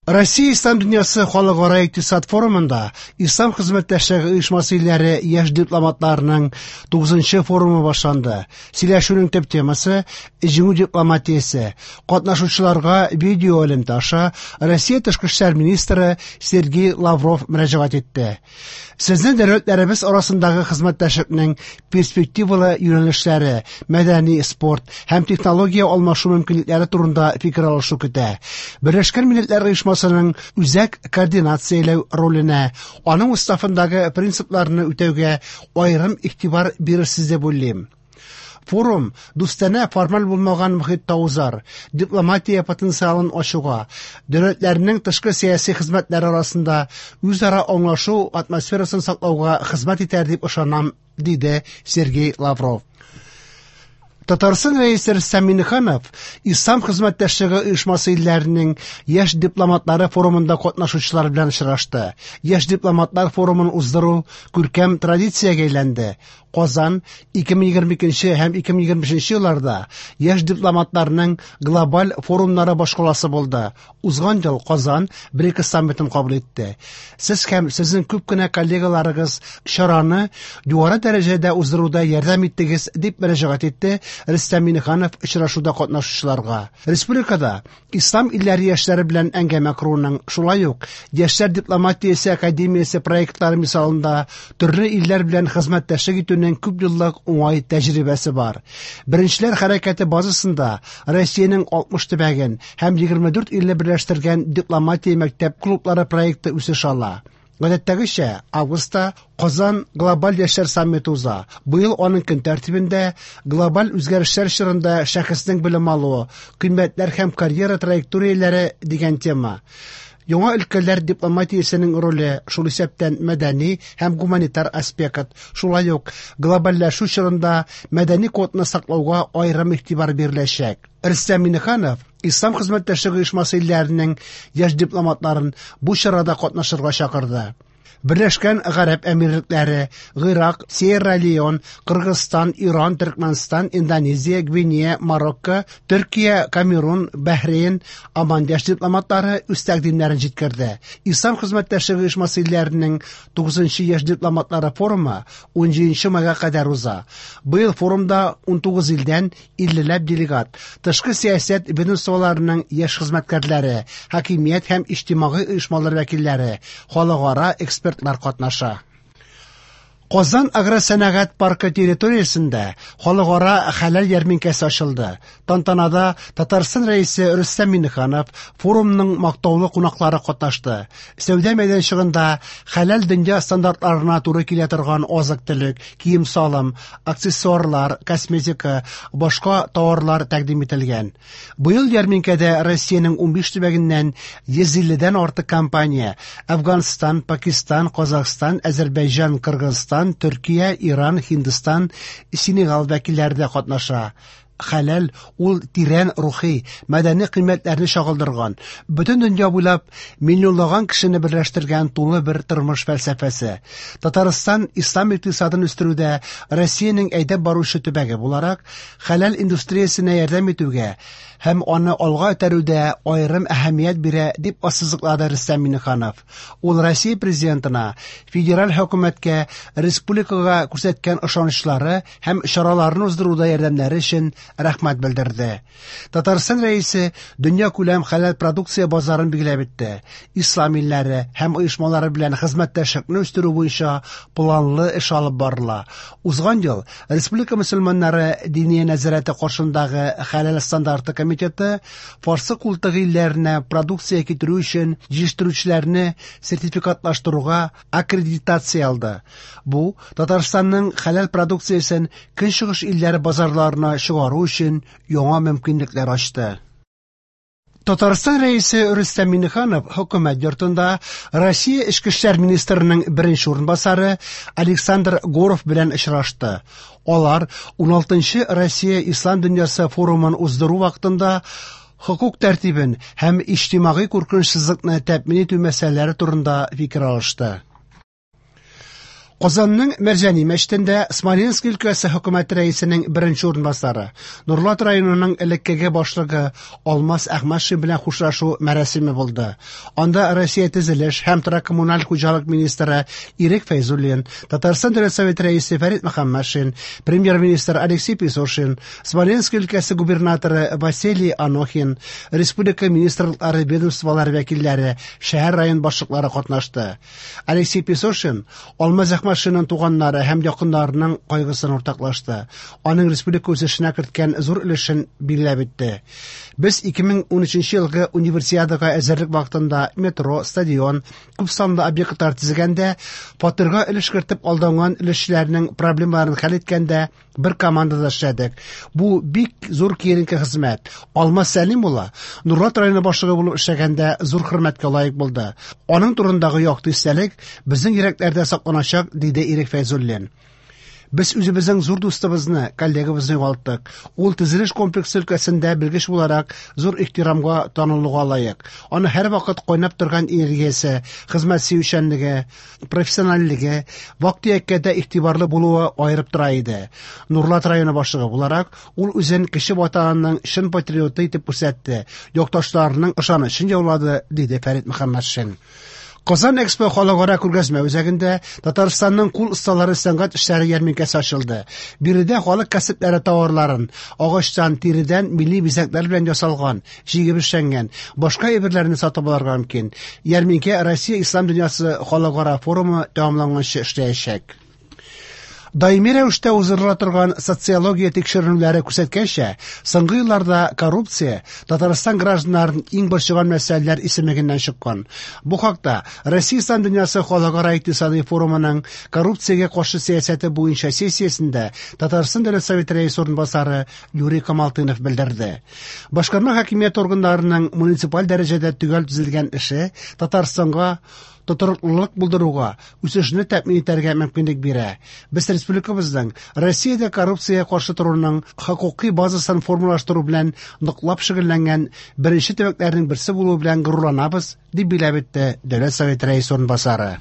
Россия Ислам дөньясы халыкара икътисад форумында Ислам хезмәттәшлеге оешмасы илләре яшь дипломатларының 9нчы форумы башланды. Сөйләшүнең төп темасы – җиңү дипломатиясе. Катнашучыларга видео элемтә аша Россия тышкы эшләр министры Сергей Лавров мөрәҗәгать итте. Сезне дәүләтләребез арасындагы хезмәттәшлекнең перспективалы юнәлешләре, мәдәни, спорт һәм технология алмашу мөмкинлекләре турында фикер алышу көтә. Берләшкән Милләтләр Оешмасының үзәк координацияләү роленә, аның уставындагы принципларны үтәүгә аерым игътибар бирерсез дип уйлыйм. Форум дустанә формаль булмаган мохиттә узар, дипломатия потенциалын ачуга, дәүләтләрнең тышкы сәяси хезмәтләре арасында үзара аңлашу атмосферасын саклауга хезмәт итәр дип ышанам, диде Сергей Лавров. Татарстан Рәисе Рөстәм Миңнеханов Ислам хезмәттәшлеге оешмасы илләренең яшь дипломатлары форумында катнашучылар белән очрашты. Яшь дипломатлар форумын уздыру күркәм традициягә әйләнде. Казан 2022 һәм 2025 елларда яшь дипломатларның глобаль форумнары башкаласы булды. Узган ел Казан БРИКС саммитын кабул итте. Сез һәм сезнең күп кенә коллегаларыгыз чараны югары дәрәҗәдә уздыруда ярдәм иттегез, дип мөрәҗәгать итте Рөстәм Миңнеханов очрашуда катнашучыларга. Республикада Ислам илләре яшьләре белән әңгәмә коруның, шулай ук Яшьләр дипломатиясе академиясе проектлары мисалында төрле илләр белән хезмәттәшлек итүнең күп еллык уңай тәҗрибәсе бар. Беренчеләр хәрәкәте базасында Россиянең 60 төбәген һәм 24 илне берләштергән дипломатия мәктәп клублары проекты үсеш ала. Гадәттәгечә, августта Казан глобаль яшьләр саммиты уза. Быел аның көн тәртибендә глобаль үзгәрешләр чорында шәхеснең белем алуы, кыйммәтләр һәм карьера траекторияләре дигән тема. Яңа өлкәләр дипломатиясенең роле, шул исәптән мәдәни һәм гуманитар аспект, шулай ук глобальләшү чорында мәдәни кодны саклауга аерым игътибар биреләчәк. Рөстәм Миңнеханов Ислам хезмәттәшлеге оешмасы илләренең яшь дипломатларын бу чарада катнашырга чакырды. Берләшкән Гарәп Әмирлекләре, Гыйрак, Сьерра-Леон, Кыргызстан, Иран, Төркмәнстан, Индонезия, Гвинея, Марокко, Төркия, Камерун, Бәһрейн, Оман яшь дипломатлары үз тәкъдимнәрен җиткерде. Ислам хезмәттәшлеге оешмасы илләренең 9нчы яшь дипломатлары форумы 17 майга кадәр уза. Быел форумда 19 илдән 50ләп делегат, тышкы сәясәт ведомстволарының яшь хезмәткәрләре, хакимият һәм иҗтимагый оешмалар вәкилләре, халыкара экспертлар катнаша. Казан агросәнәгать паркы территориясендә халыкара хәләл ярминкәсе ачылды. Тантанада Татарстан Рәисе Рөстәм Миңнеханов, форумның мактаулы кунаклары катнашты. Сәүдә мәйданчыгында хәләл дөнья стандартларына туры килә торган азык-төлек, кием-салым, аксессуарлар, косметика, башка товарлар тәкъдим ителгән. Быел ярминкәдә Россиянең 15 төбәгеннән 150дән артык компания Әфганстан, Пакистан, Казахстан, Әзербайҗан, Кыргызстан, Төркия, Иран, Һиндстан, Сенегал вәкилләре дә катнаша. Хәләл ул тирән рухи, мәдәни кыйммәтләрне чагылдырган, бөтен дөнья буйлап миллионлаган кешене берләштергән тулы бер тормыш фәлсәфәсе. Татарстан ислам икътисадын үстерүдә Россиянең әйдәп баручы төбәге буларак, хәләл индустриясенә ярдәм итүгә һәм аны алга этәрүдә аерым әһәмият бирә, дип ассызыклады Рөстәм Миңнеханов. Ул Россия президентына, федераль хөкүмәткә республикага күрсәткән ышанычлары һәм чараларны уздыруда ярдәмнәре өчен рәхмәт белдерде. Татарстан Рәисе дөнья күләм хәләл продукция базарын билгеләп үтте. Ислам илләре һәм оешмалары белән хезмәттәшлекне үстерү буенча планлы эш алып барыла. Узган ел Республика мөселманнары Диния нәзарәте каршындагы хәләл стандарты комитеты Фарсы култыгы илләренә продукция китерү өчен җитештерүчеләрне сертификатлаштыруга аккредитация алды. Бу Татарстанның хәләл продукциясен Көнчыгыш илләре базарларына чыгару өчен яңа мөмкинлекләр ачты. Татарстан Рәисе Рөстәм Миңнеханов хөкүмәт йортында Россия Эчке эшләр министрының беренче урынбасары Александр Горов белән очрашты. Алар 16нчы Россия Ислам дөньясы форумын уздыру вакытында хокук тәртибен һәм иҗтимагый куркынычсызлыкны тәэмин итү мәсьәләләре турында фикер алышты. Казанның Мәрҗани мәчетендә Смоленск өлкәсе хөкүмәте рәисенең беренче урынбасары, Нурлат районының элеккеге башлыгы Алмаз Әхмәтшин белән хушлашу мәрасиме булды. Анда Россия төзелеш һәм торак-коммуналь хуҗалык министры Ирек Фәйзуллин, Татарстан Дәүләт Советы рәисе Фәрит Мөхәммәтшин, премьер-министр Алексей Песошин, Смоленск өлкәсе губернаторы Василий Анохин, республика министрлыклары, ведомстволары вәкилләре, шәһәр-район башлыклары катнашты. Алексей Песошин Алмаз Әхмәтшинның туганнары һәм якыннарының кайгысын уртаклашты. Аның республика үсешенә керткән зур өлешен билгеләп үтте. Без 2013 елгы Универсиадага әзерлек вакытында метро, стадион, күп санлы объектлар төзегәндә, фатирга өлеш кертеп алданган өлешчеләрнең проблемаларын хәл иткәндә бер командада эшләдек. Бу бик зур киеренке хезмәт. Алмаз Сәлим улы Нурлат районы башлыгы булып эшләгәндә зур хөрмәткә лаек булды. Аның турындагы якты истәлек безнең йөрәкләрдә сакланачак, диде Ирек Фәйзуллин. Без үзебезнең зур дустыбызны, коллегабызны югалттык. Ул төзелеш комплексы өлкәсендә белгеч буларак зур ихтирамга танылуга лаек. Аны һәрвакыт кайнап торган энергиясе, хезмәт сөючәнлеге, профессиональлеге, вак-төяккә дә игътибарлы булуы аерып тора иде. Нурлат районы башлыгы буларак, ул үзен кече ватанының чын патриоты итеп күрсәтте, якташларының ышанычын яулады, диде Фәрит Мөхәммәтшин. Казан Экспо халыкара күргәзмә үзәгендә Татарстанның кул осталары сәнгать эшләре ярминкәсе ачылды. Биредә халык кәсепләре товарларын, агачтан, тиредән милли бизәкләр белән ясалган, җигеп эшләнгән, башка әйберләрне сатып алырга мөмкин. Ярминкә Россия Ислам дөньясы халыкара форумы тәмамланганчы эшләячәк. Даими рәвештә уздырыла торган социология тикшеренүләре күрсәткәнчә, соңгы елларда коррупция Татарстан гражданнарын иң борчыган мәсьәләләр исемлегеннән чыккан. Бу хакта Россия Ислам дөньясы халыкара икътисадый форумының коррупциягә каршы сәясәте буенча сессиясендә Татарстан Дәүләт Советы рәисе урынбасары Юрий Камалтынов белдерде. Башкарма хакимият органнарының муниципаль дәрәҗәдә төгәл төзелгән эше Татарстанга тотрыклылык булдыруга, үсешне тәэмин итәргә мөмкинлек бирә. Без республикабызның Россиядә коррупциягә каршы торуның хокукый базасын формалаштыру белән ныклап шөгыльләнгән беренче төбәкләрнең берсе булуы белән горурланабыз, дип билгеләп үтте Дәүләт Советы рәисе урынбасары.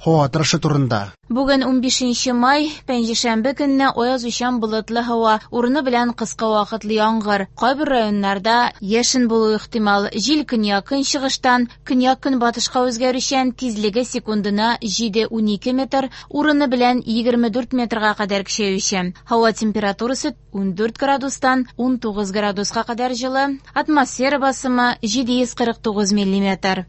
Һава торышы турында. Бүген 15 май, пәнҗешәмбе көнне аязучан болытлы һава, урыны белән кыска вакытлы яңгыр. Кайбер районнарда яшен булуы ихтимал. Җил көньяк-көнчыгыштан көньяк-көнбатышка үзгәрүчән, тизлеге секундына 7-12 метр, урыны белән 24 метрга кадәр көчәючән. Һава температурасы 14 градустан 19 градуска кадәр җылы, атмосфера басымы 749 миллиметр.